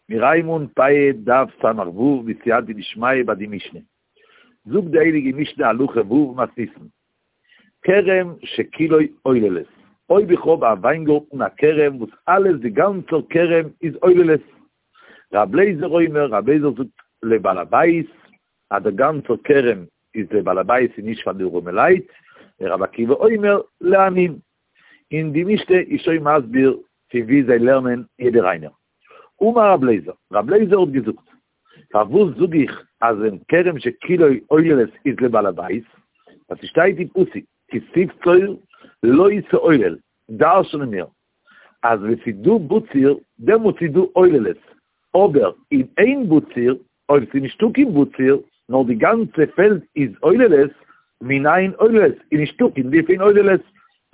מיר הייבן אן פאה דף ס"ו בסייעתא דשמיא ביי די משנה. זאגט די הייליגע משנה הלכה ו' מתניתין, כרם שכולו עוללות, אויב איך האב א וויינגארטן א כרם וואס אלעס די גאנצער כרם איז עוללות, רב לעזער אומר, רב לעזער זאגט לבעל הבית אז דער גאנצער כרם איז לבעל הבית און נישט פאר די ארעמעלייט, ורבי עקיבא אומר לעניים. און די משנה איז שוין מסביר פון וואו זיי לערנען יעדער איינער. אמר רב לעזער, רב לעזער האט געזאגט, פארוואס זאג איך אז ווען כרם שכולו עוללות איז לבעל הבית, ווייל ס'שטייט אין פסוק כי תבצור לא תעולל, דרש'נען מיר אז ווען ס'איז דא בציר דעמאלטס איז דא עוללות, אבער אם אין בציר, אויב ס'איז נישטא קיין בציר, נאר די גאנצע פעלד איז עוללות, מנין עוללות, איז נישטא קיין דין פון עוללות,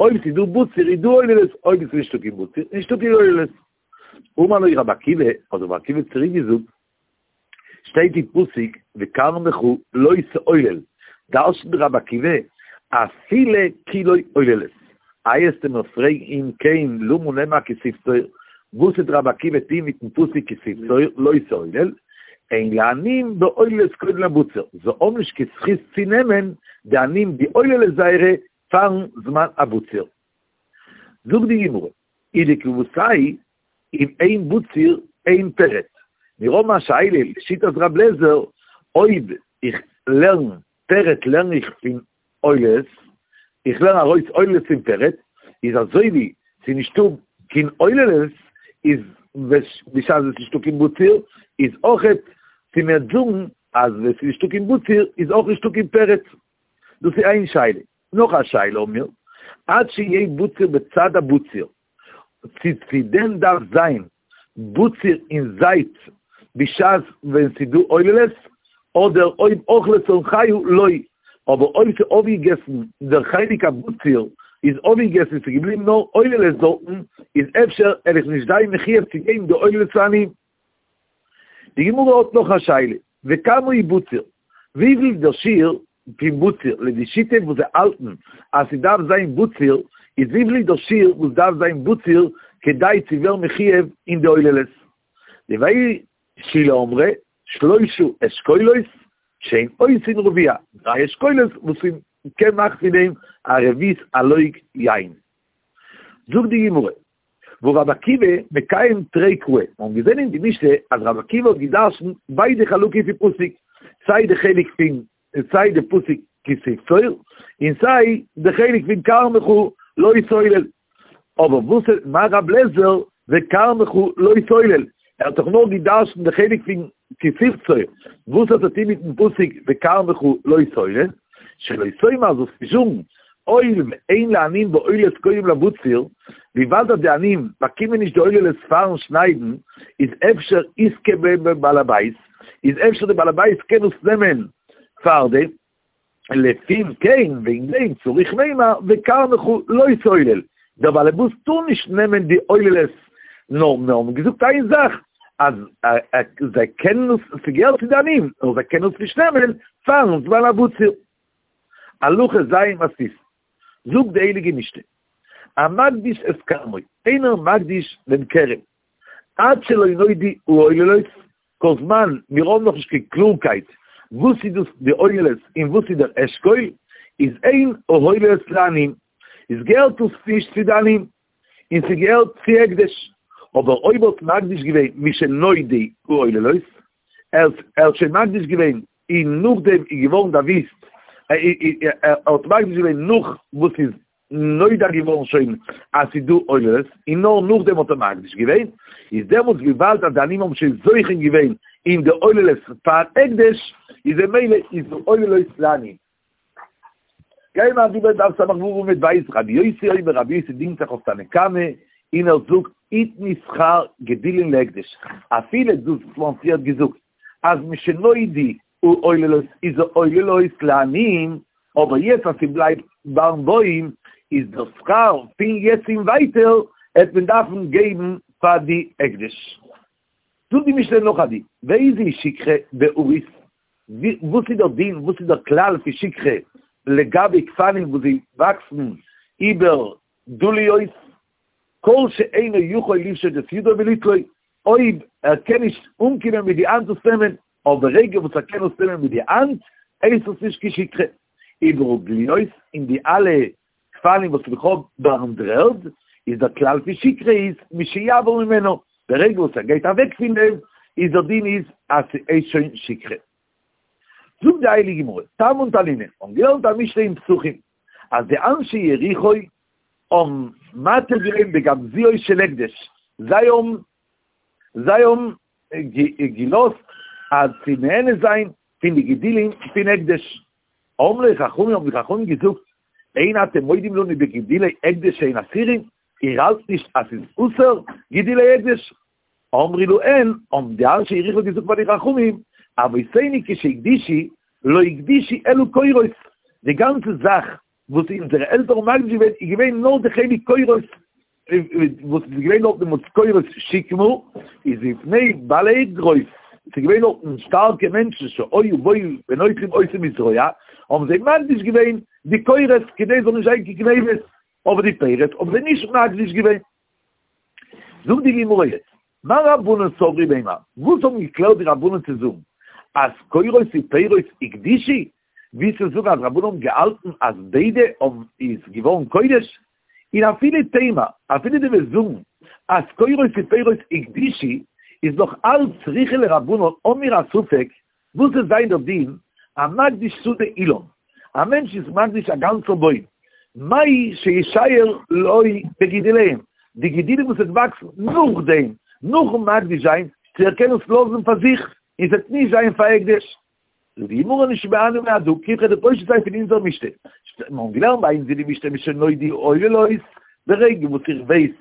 אויב ס'איז דא בציר איז דא עוללות, אויב ס'איז נישטא קיין בציר איז נישטא קיין עוללות. אמר לו רבי עקיבא, האט רבי עקיבא צוריק געזאגט, שטייט אין פסוק וכרמך לא תעולל, דרש'נט רבי עקיבא, אפילו כולו עוללות. איי עסטו מיר פרעגן אם כן למה נאמר כי תבצור, וואס וועט רבי עקיבא טוהן מיטן פסוק כי תבצור לא תעולל, אין לעניים בעוללות קודם לבציר, זיי האבן נישט קיין זכות צו נעמען די עניים די עוללות זייערע פארן זמן הבציר. זאגט די גמרא, ולכוותיה אם אין בציר אין פרט. מיר האבן א שאלה לשיטת רב לעזער, אויב איך לערן פרט לערן איך פון עוללות, איך לערן ארויס עוללות פון פרט, איז אזוי ווי ס'איז נישטא קיין עוללות, איז בשעת עס איז נישטא קיין בציר, איז אויכעט צו מיר זאגן אז ווען ס'איז נישטא קיין בציר איז אויך נישטא קיין פרט. דאס איז איין שאלה. נאך א שאלה האבן מיר, עד שיהא בציר בצד הבציר, צו צו דען דארף זיין בציר אין זייט בשעת ווען ס'איז דא עוללות, אדער אויב אכלה צמחיו לא, אבער אויב ס'איז אויפגעגעסן דער חלק הבציר איז אויפגעגעסן און ס'איז געבליבן נאר עוללות דארטן, איז אפשר וועל איך נישט זיין מחויב צו געבן די עוללות צו עניים. די גמרא האט נאך א שאלה, וכמה הוא בציר? וויפיל איז דער שיעור פון בציר, לויט די שיטה וואס זיי האלטן אז ס'דארף זיין בציר, איז וויפיל איז דער שיעור וואס דארף זיין בציר כדי צו ווערן מחויב אין די עוללות? דבי שילא אמרי, שלושה אשכולות שהן עושין רביע, דריי אשכולות וואס מ'קען מאכן פון דעם א רביעית הלוג יין. זאגט די גמרא, והא רבי עקיבא מקיים תרי קראי, מיר האבן געזען אין די משנה אז רבי עקיבא האט גע'דרש'נט ביידע חלקים פון פסוק, סיי די חלק פון סיי די פסוק כי תבצור, און סיי די חלק פון כרמך לא תעולל. אבער וואס איז מה רב לעזער וכרמך לא תעולל? ער האט דאך נאר גע'דרש'נט די חלק פון כי תבצור, וואס האט ער טון מיטן פסוק וכרמך לא תעולל? שלא תאמר זאלסט נישט זאגן, הואיל ואין לעניים בעוללות קודם לבציר, וויבאלד אז די עניים באקומען נישט די עוללות פארן שניידן, איז אפשר יזכה בהן בעל הבית, איז אפשר די בעל הבית קען עס נעמען פארדעם, לפום כן, וועגן דעם צריך מימר וכרמך לא תעולל, דער בעל הבית טאר נישט נעמען די עוללות, נאר מיר האבן געזאגט איין זאך, אז זיי קענען עס, ס'געהערט צו די עניים, נאר זיי קענען עס נישט נעמען פארן זמן הבציר. הלכה ז' מתניתין, זאגט די הייליגע משנה, המקדיש את כרמו, איינער מקדיש דעם כרם, עד שלא נודעו העוללות, כל זמן מיר האבן נאכנישט קיין קלארקייט וואס איז דאס די עוללות און וואס איז דער אשכול, איז אין העוללות לעניים, איז געהערט עס נישט צו די עניים, און ס'געהערט צו הקדש, אבער אויב האט מקדיש געווען משנודעו העוללות, ער האט שוין מקדיש געווען און נאכדעם איז געווארן דערוויסט, ער האט מקדיש געווען נאך וואס איז נודע געווארן שוין אז ס'איז דא עוללות, און נאר נאכדעם האט ער מקדיש געווען, איז דעמאלטס וויבאלד אז די עניים האבן שוין זוכה געווען אין די עוללות פאר הקדש, איז ממילא איז די עוללות לעניים. גייען מיר אריבער דף ס"ו עמוד ב', רבי יוסי אומר, רבי יוסי דינגט זיך אויף תנא קמא, און ער זאגט, יתנו שכר גדילין להקדש, אפילו דאס וואס מ'האט פריערט געזאגט אז משנודעו העוללות איז העוללות לעניים, אבער יעצט אז ס'בלייבט ביים בוים איז דער שכר פון יעצט און ווייטער העט מען דארפן געבן פאר די הקדש. זאגט די משנה נאך א דין, ואיזו שכחה בעריס, וואס איז דער דין, וואס איז דער כלל פון שכחה לגבי גפנים וואס זיי וואקסן איבער דליות, כל שאינו יכול לפשוט את ידו וליטלו, אויב ער קען נישט אנקומען מיט די האנט עס נעמען, אבער ברגע וואס ער קען עס נעמען מיט די האנט, הייסט עס נישט קיין שכחה. וברגליות, אין די אלע גפנים וואס איך האב ביים דר'ערד, איז דער כלל פון שכחה איז משיעבור ממנו, ברגע וואס ער גייט אוועק פון דעם, איז דער דין איז אז ס'איז שוין שכחה. זאגט די הייליגע גמרא, תמן תנינא, האבן געלערנט א משנה אין פסחים, אז די אנשי יריחו האבן מתיר געווען בגמזיות של הקדש, זיי האבן זיי האבן געלאזט אז צו נהנה זיין פון די גידולים פון הקדש. אמרו לו חכמים האבן די חכמים געזאגט, אין אתם מודים לנו בגידולי הקדש שהן אסורים, איר האלט נישט אז ס'איז אסור גידולי הקדש? אמרו להן, האבן די אנשי יריחו געזאגט פאר די חכמים, אבותינו כשהקדישו, לא הקדישו אלא קורות, די גאנצע זאך וואס אונזערע עלטערן האבן מקדיש געווען איז געווען נאר די חלק קורות, וואס איז געווען דארט דעמאלטס קורות שקמה, איז מפני בעלי אגרוף, ס'איז געווען דארטן שטארקע מענטשן שהיו באים ונוטלים אותם בזרוע, האבן זיי מקדיש געווען די קורות כדי ס'זאל נישט זיין קיין גניבות, אבער די פירות האבן זיי נישט מקדיש געווען. זאגט די גמרא יעצט, מה רבנן סברי למימר, וואס האבן געקלערט די רבנן צו זאגן אז קורות ופירות הקדישו, ווי צו זאגן אז רבנן האבן געהאלטן אז ביידע האבן איז געווארן קודש, און אפילו תימא, אפילו דו וועסט זאגן אז קורות ופירות הקדישו, איז נאך אלץ צריכא לרבנן האבן מיר א ספק וואס וועט זיין דער דין, המקדיש שדה אילן, א מענטש איז מקדיש א גאנצער בוים, מהו שישייר לו בגידוליהם, די גידולים וואס וועט וואקסן נאכדעם, נאכן מקדיש זיין, צו ער קען עס לאזן פאר זיך, און ס'וועט נישט זיין פאר הקדש. זאגט די גמרא נשמענו מהדא, כ'וועל דיר פושט זיין פון אונזער משנה, מיר האבן געלערנט ביי אונז אין די משנה משנודעו עוללות, ברגע וואס איך ווייס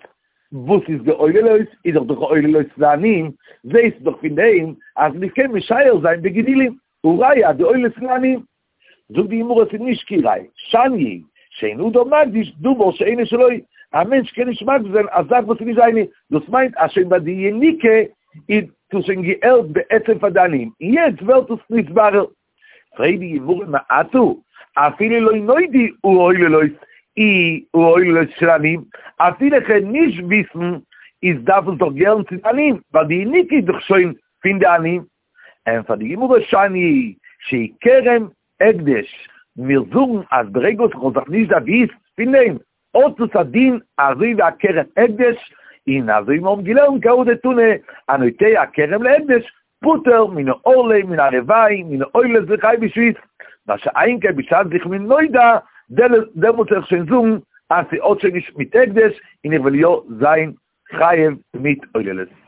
וואס איז די עוללות, איז דאך די עוללות לעניים, זעהסט דאך פון דעם אז מען קען משייר זיין בגידולים, הראיה אז די עוללות לעניים. זאגט די גמרא ס'איז נישט קיין ראיה, שאני שאין אדם מקדיש דבר שאינו שלו, א מענטש קען נישט מקדיש זיין א זאך וואס איז נישט זיינע, דאס מיינט אז שוין ביי די יניקה איז דאס שוין געהערט בעצם פאר די עניים, און יעצט ווערט עס נתברר. פרעגט די גמרא מעתה, אפילו לא נודעו העוללות אי העוללות של עניים, אפילו איך וועל נישט וויסן, איז דארף עס דאך געהערן צו די עניים, ווייל די יניקה איז דאך שוין פון די עניים. ענטפערט די גמרא שאני שהוא כרם הקדש, מיר זאגן אז ברגע וואס איך האב זיך נישט דערוויסט פון דעם, האט עס א דין אזוי ווי א כרם הקדש, און אזוי ווי מיר האבן געלערנט כי הא דתנא, הנוטע כרם להקדש, פטור מן הערלה מן הרבעי מן העוללות וחייב בשביעית, מה שאין כן בשעת איך בין נודע, דעמאלט וועל איך שוין זאגן אז ס'האט שוין נישט מיט הקדש און איך וועל יא זיין חייב מיט עוללות.